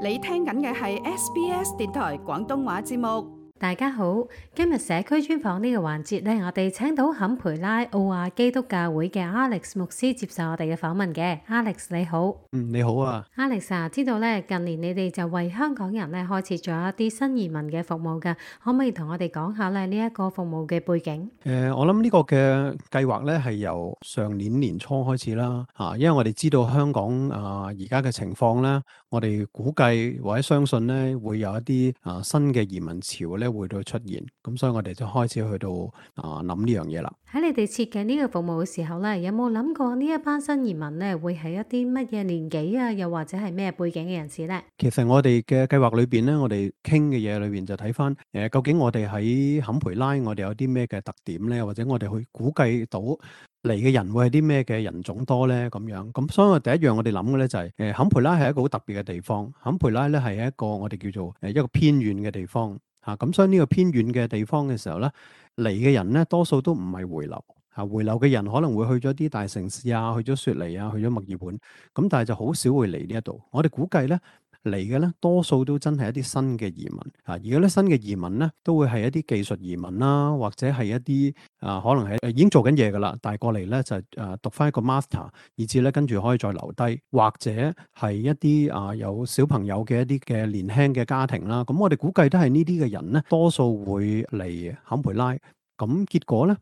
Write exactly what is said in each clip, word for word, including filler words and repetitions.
你聽緊嘅係 S B S 電台廣東話節目。大家好，今日社區專訪呢個環節咧，我哋請到坎培拉奧亞基督教會嘅 Alex 牧師接受我哋嘅訪問嘅。Alex 你好。嗯，你好啊。Alex 啊，知道咧近年你哋就為香港人咧開設咗一啲新移民嘅服務㗎，可唔可以同我哋講下咧呢一個服務嘅背景？誒、呃，我諗呢個嘅計劃咧係由上年年初開始啦，啊，因為我哋知道香港啊而家嘅情況咧，我哋估計或者相信咧會有一啲啊新嘅移民潮咧會到出現，咁所以我哋就開始去到啊諗呢樣嘢啦。喺你哋設計呢個服務嘅時候咧，有冇諗過呢一班新移民咧會係一啲乜嘢年紀啊，又或者係咩背景嘅人士咧？其實我哋嘅計劃裏邊咧，我哋傾嘅嘢裏邊就睇翻誒，究竟我哋喺坎培拉我哋有啲咩嘅特點咧，或者我哋去估計到嚟嘅人會係啲咩嘅人種多咧咁樣。咁所以我第一樣我哋諗嘅咧就係、是、誒，坎培拉係一個好特別嘅地方。坎培拉咧係一個我哋叫做誒一個偏遠嘅地方嚇。咁、啊、所以呢個偏遠嘅地方嘅時候咧，嚟嘅人咧多數都唔係回流。啊，回流嘅人可能會去咗啲大城市啊，去咗雪梨啊，去咗墨爾本，咁但係就好少會嚟呢一度。我哋估計咧嚟嘅咧，多數都真係一啲新嘅移民啊。而家咧新嘅移民咧，都會係一啲技術移民啦，或者係一啲啊，可能係已經做緊嘢噶啦，但係過嚟咧就誒、啊、讀翻一個 master，以至咧跟住可以再留低，或者係一啲啊有小朋友嘅一啲嘅年輕嘅家庭啦。咁我哋估計都係呢啲嘅人咧，多數會嚟坎培拉。咁結果咧？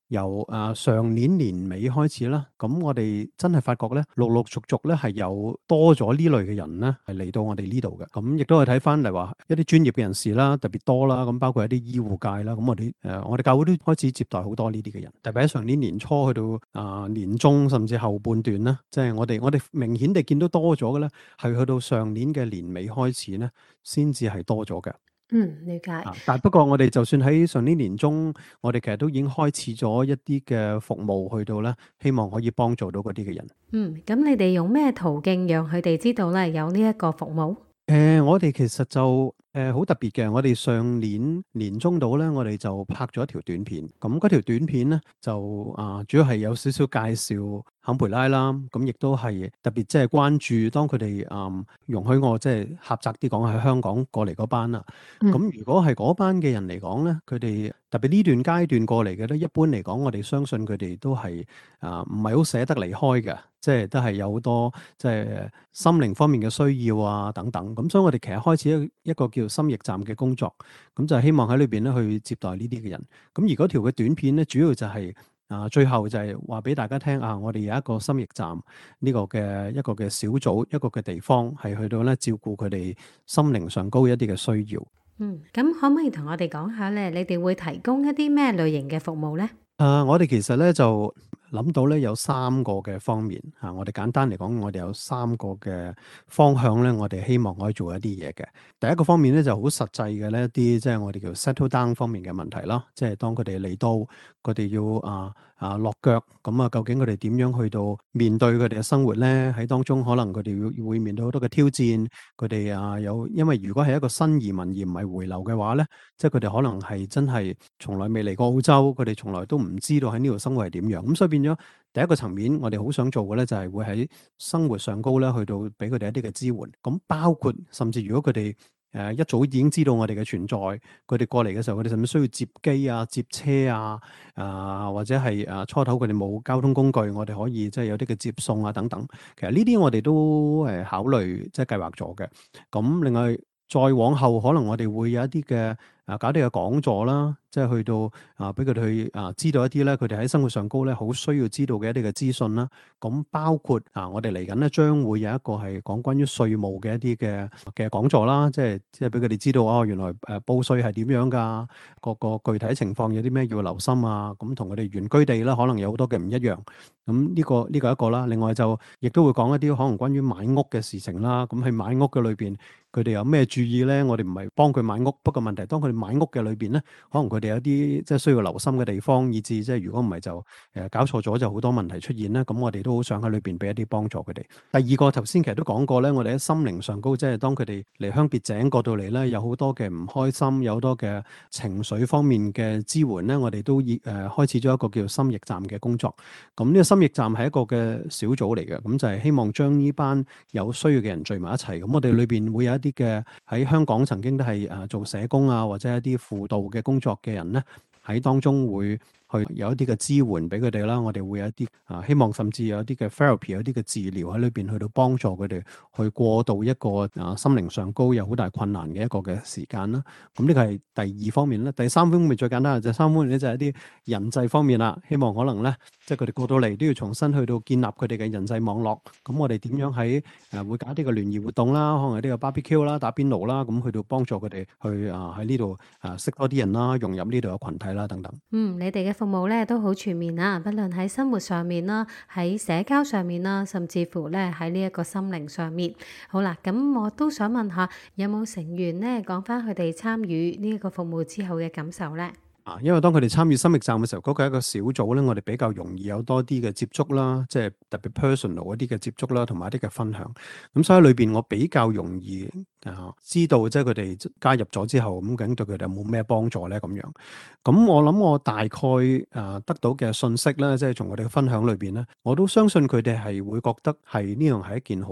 由誒、呃、上年年尾開始啦，咁我哋真係發覺咧，陸陸續續咧係有多咗呢類嘅人咧，係嚟到我哋呢度嘅。咁亦都係睇翻嚟話一啲專業嘅人士啦，特別多啦。咁包括一啲醫護界啦，咁我哋誒、呃、我哋教會都開始接待好多呢啲嘅人。特別喺上年年初去到啊、呃、年中甚至後半段啦，即係我哋我哋明顯地見到多咗嘅咧，係去到上年嘅年尾開始咧，先至係多咗嘅。嗯，了解。啊、但不過我哋就算喺上年年中，我哋其實都已經開始咗一啲嘅服務去到咧，希望可以幫助到嗰啲嘅人。嗯，咁你哋用咩途徑讓佢哋知道咧有呢一個服務？誒、呃，我哋其實就誒好、呃、特別嘅，我哋上年年中度咧，我哋就拍咗一條短片。咁嗰條短片咧就啊、呃，主要係有少少介紹坎培拉啦。咁亦都係特別即係關注當佢哋啊容許我即係狹窄啲講喺香港過嚟嗰班啦。咁、嗯、如果係嗰班嘅人嚟講咧，佢哋特別呢段階段過嚟嘅咧，一般嚟講，我哋相信佢哋都係啊唔係好捨得離開嘅，即係都係有好多即係心靈方面嘅需要啊等等。咁所以我哋其實開始一一個叫心驛站嘅工作，咁就希望喺裏邊咧去接待呢啲嘅人。咁而嗰條嘅短片咧，主要就係、是、啊最後就係話俾大家聽啊，我哋有一個心驛站呢個嘅一個嘅小組，一個嘅地方係去到咧照顧佢哋心靈上高一啲嘅需要。嗯，咁可唔可以同我哋講下咧？你哋會提供一啲咩類型嘅服務咧？誒、uh，我哋其實咧就諗到咧有三個嘅方面嚇、啊，我哋簡單嚟講，我哋有三個嘅方向咧，我哋希望可以做一啲嘢嘅。第一個方面咧就好實際嘅呢一啲，即係我哋叫 settle down 方面嘅問題啦，即係當佢哋嚟到，佢哋要啊啊落腳，咁啊究竟佢哋點樣去到面對佢哋嘅生活咧？喺當中可能佢哋會會面對好多嘅挑戰，佢哋啊有，因為如果係一個新移民而唔係回流嘅話咧，即係佢哋可能係真係從來未嚟過澳洲，佢哋從來都唔唔知道喺呢度生活係點樣，咁所以變咗第一個層面，我哋好想做嘅咧，就係會喺生活上高咧，去到俾佢哋一啲嘅支援。咁包括甚至如果佢哋誒一早已經知道我哋嘅存在，佢哋過嚟嘅時候，佢哋甚至需要接機啊、接車啊，啊、呃、或者係誒、啊、初頭佢哋冇交通工具，我哋可以即係有啲嘅接送啊等等。其實呢啲我哋都誒考慮即係計劃咗嘅。咁另外再往後，可能我哋會有一啲嘅啊搞啲嘅講座啦。即係去到啊，俾佢哋去啊，知道一啲咧，佢哋喺生活上高咧，好需要知道嘅一啲嘅資訊啦。咁包括啊，我哋嚟緊咧，將會有一個係講關於稅務嘅一啲嘅嘅講座啦。即係即係俾佢哋知道哦，原來誒報稅係點樣㗎？個個具體情況有啲咩要留心啊？咁同佢哋原居地咧，可能有好多嘅唔一樣。咁呢個呢個一個啦。另外就亦都會講一啲可能關於買屋嘅事情啦。咁喺買屋嘅裏邊，佢哋有咩注意咧？我哋唔係幫佢買屋，不過問題當佢哋買屋嘅裏邊咧，可能佢哋有啲即係需要留心嘅地方，以至即係如果唔係就誒搞錯咗就好多問題出現啦。咁我哋都好想喺裏邊俾一啲幫助佢哋。第二個頭先其實都講過咧，我哋喺心靈上高，即係當佢哋離鄉別井過到嚟咧，有好多嘅唔開心，有好多嘅情緒方面嘅支援咧，我哋都已誒、呃、開始咗一個叫心驛站嘅工作。咁呢個心驛站係一個嘅小組嚟嘅，咁就係希望將呢班有需要嘅人聚埋一齊。咁我哋裏邊會有一啲嘅喺香港曾經都係誒做社工啊，或者一啲輔導嘅工作嘅人咧，喺當中會去有一啲嘅支援俾佢哋啦。我哋會有一啲啊，希望甚至有一啲嘅 therapy，有啲嘅治療喺裏邊去到幫助佢哋去過渡一個啊心靈上高有好大困難嘅一個嘅時間啦。咁呢個係第二方面啦。第三方面最簡單嘅就係三方面咧，就係一啲人際方面啦。希望可能咧，即係佢哋過到嚟都要重新去到建立佢哋嘅人際網絡。咁我哋點樣喺誒會搞啲嘅聯誼活動啦，可能係呢個 barbecue 啦、打邊爐啦，咁去到幫助佢哋去啊喺呢度啊識多啲人啦，融入呢度嘅群體啦等等。嗯，你哋嘅服務咧都好全面啊，不論喺生活上面啦，喺社交上面啦，甚至乎咧喺呢一個心靈上面。好啦，咁我都想問下，有冇成員咧講翻佢哋參與呢一個服務之後嘅感受咧？啊，因為當佢哋參與心驛站嘅時候，嗰個係一個小組咧，我哋比較容易有多啲嘅接觸啦，即係特別 personal 一啲嘅接觸啦，同埋一啲嘅分享。咁所以喺裏邊我比較容易啊知道，即係佢哋加入咗之後，咁究竟對佢哋有冇咩幫助咧？咁樣，咁我諗我大概啊得到嘅信息咧，即係從我哋嘅分享裏邊咧，我都相信佢哋係會覺得係呢樣係一件好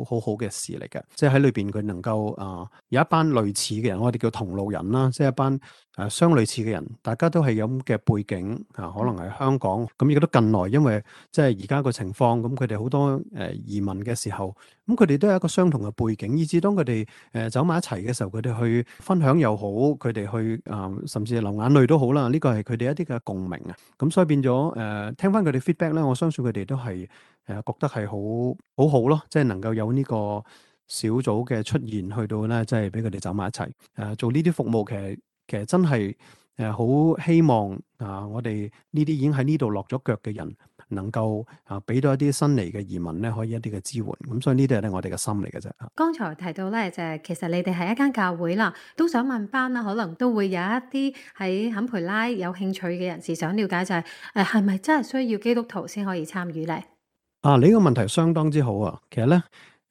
好好嘅事嚟嘅，即係喺裏邊佢能夠啊有一班類似嘅人，我哋叫同路人啦，即係一班誒相類似嘅人。大家都係有咁嘅背景啊，可能係香港咁，亦都近來，因為即係而家個情況，咁佢哋好多誒、呃、移民嘅時候，咁佢哋都有一個相同嘅背景，以至當佢哋誒走埋一齊嘅時候，佢哋去分享又好，佢哋去啊、呃，甚至流眼淚都好啦。呢個係佢哋一啲嘅共鳴啊。咁所以變咗誒、呃，聽翻佢哋 feedback 咧，我相信佢哋都係誒、呃、覺得係好好好咯，即係能夠有呢個小組嘅出現，去到咧即係俾佢哋走埋一齊誒、呃、做呢啲服務，其實其實真係。誒好、呃、希望啊！我哋呢啲已經喺呢度落咗腳嘅人，能夠啊俾到一啲新嚟嘅移民咧，可以一啲嘅支援。咁所以呢啲係咧我哋嘅心嚟嘅啫。剛才提到咧，就係其實你哋係一間教會啦，都想問翻啦，可能都會有一啲喺坎培拉有興趣嘅人士想了解就係誒係咪真係需要基督徒先可以參與咧？啊，你呢個問題相當之好啊！其實咧。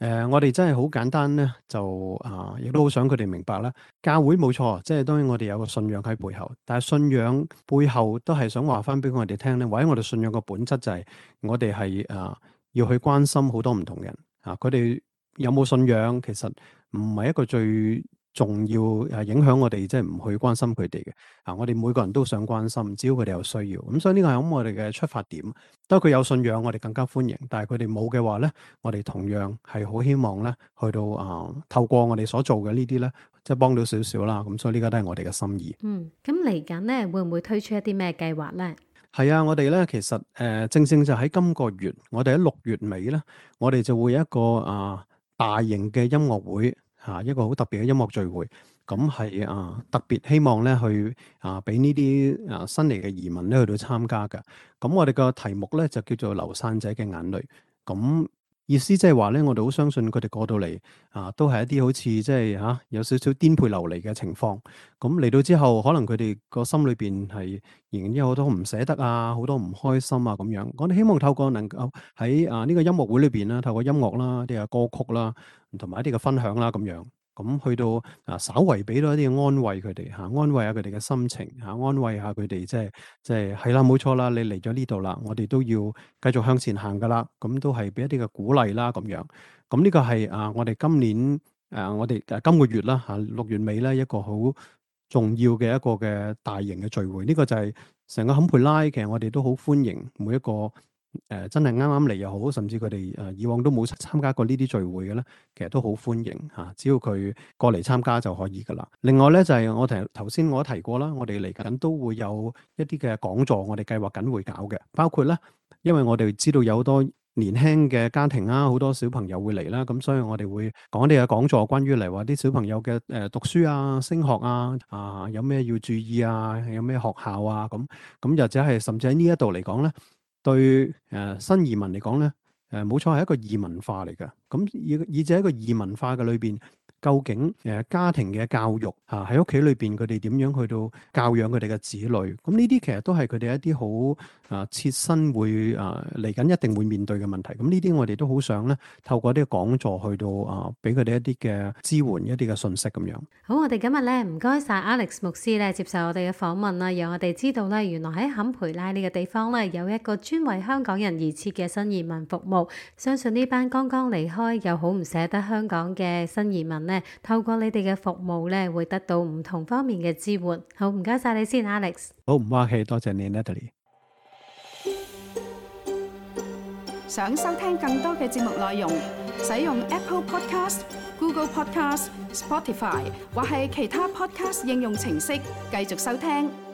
誒、呃，我哋真係好簡單咧，就啊，亦都好想佢哋明白啦。教會冇錯，即係當然我哋有個信仰喺背後，但係信仰背後都係想話翻俾我哋聽咧，或者我哋信仰個本質就係我哋係啊要去關心好多唔同人啊，佢哋有冇信仰其實唔係一個最重要誒影響我哋即係唔去關心佢哋嘅啊！我哋每個人都想關心，只要佢哋有需要。咁所以呢個係咁我哋嘅出發點。當佢有信仰，我哋更加歡迎；但係佢哋冇嘅話咧，我哋同樣係好希望咧，去到啊、呃、透過我哋所做嘅呢啲咧，即係幫到少少啦。咁所以呢個都係我哋嘅心意。嗯，咁嚟緊咧會唔會推出一啲咩計劃咧？係啊，我哋咧其實誒、呃、正正就喺今個月，我哋喺六月尾咧，我哋就會有一個啊、呃、大型嘅音樂會。嚇一個好特別嘅音樂聚會，咁係啊特別希望咧去啊俾呢啲啊新嚟嘅移民咧去到參加嘅。咁我哋個題目咧就叫做流散者嘅眼淚。咁意思即係話咧，我哋好相信佢哋過到嚟啊，都係一啲好似即係嚇有少少顛沛流離嘅情況。咁嚟到之後，可能佢哋個心裏邊係仍然有好多唔捨得啊，好多唔開心啊咁樣。我哋希望透過能夠喺啊呢個音樂會裏邊啦，透過音樂啦、啲嘅歌曲啦，同埋一啲嘅分享啦咁樣。咁去到啊，稍為俾到一啲安慰佢哋嚇，安慰下佢哋嘅心情嚇，安慰下佢哋即係即係係啦，冇錯啦，你嚟咗呢度啦，我哋都要繼續向前行噶啦。咁都係俾一啲嘅鼓勵啦咁樣。咁呢個係啊，我哋今年誒我哋誒今個月啦嚇六月尾咧一個好重要嘅一個嘅大型嘅聚會。呢個就係成個坎培拉，其實我哋都好歡迎每一個。誒、呃，真係啱啱嚟又好，甚至佢哋誒以往都冇參加過呢啲聚會嘅咧，其實都好歡迎吓、啊，只要佢過嚟參加就可以噶啦。另外咧就係、是、我頭頭先我提過啦，我哋嚟緊都會有一啲嘅講座，我哋計劃緊會搞嘅，包括咧，因為我哋知道有好多年輕嘅家庭啦，好多小朋友會嚟啦，咁所以我哋會講啲嘅講座，關於嚟話啲小朋友嘅誒、呃、讀書啊、升學啊，啊有咩要注意啊，有咩學校啊，咁咁或者係甚至喺呢一度嚟講咧。對誒、呃、新移民嚟講咧，誒冇錯係一個異文化嚟嘅。咁以以至喺一個異文化嘅裏邊，究竟誒家庭嘅教育嚇喺屋企裏邊佢哋點樣去到教養佢哋嘅子女，咁呢啲其實都係佢哋一啲好啊切身會啊嚟緊一定會面對嘅問題。咁呢啲我哋都好想咧透過啲講座去到啊俾佢哋一啲嘅支援一啲嘅信息咁樣。好，我哋今日咧唔該晒 Alex 牧師咧接受我哋嘅訪問啦，讓我哋知道咧原來喺坎培拉呢個地方咧有一個專為香港人而設嘅新移民服務。相信呢班剛剛離開又好唔捨得香港嘅新移民咧，透過你哋嘅服務咧會得到唔同方面嘅支援。好，唔該晒你先 Alex。好，唔客氣，多謝你 Natalie。想收聽更多嘅節目內容，使用 Apple Podcast、Google Podcast、Spotify 或係其他 Podcast 應用程式繼續收聽。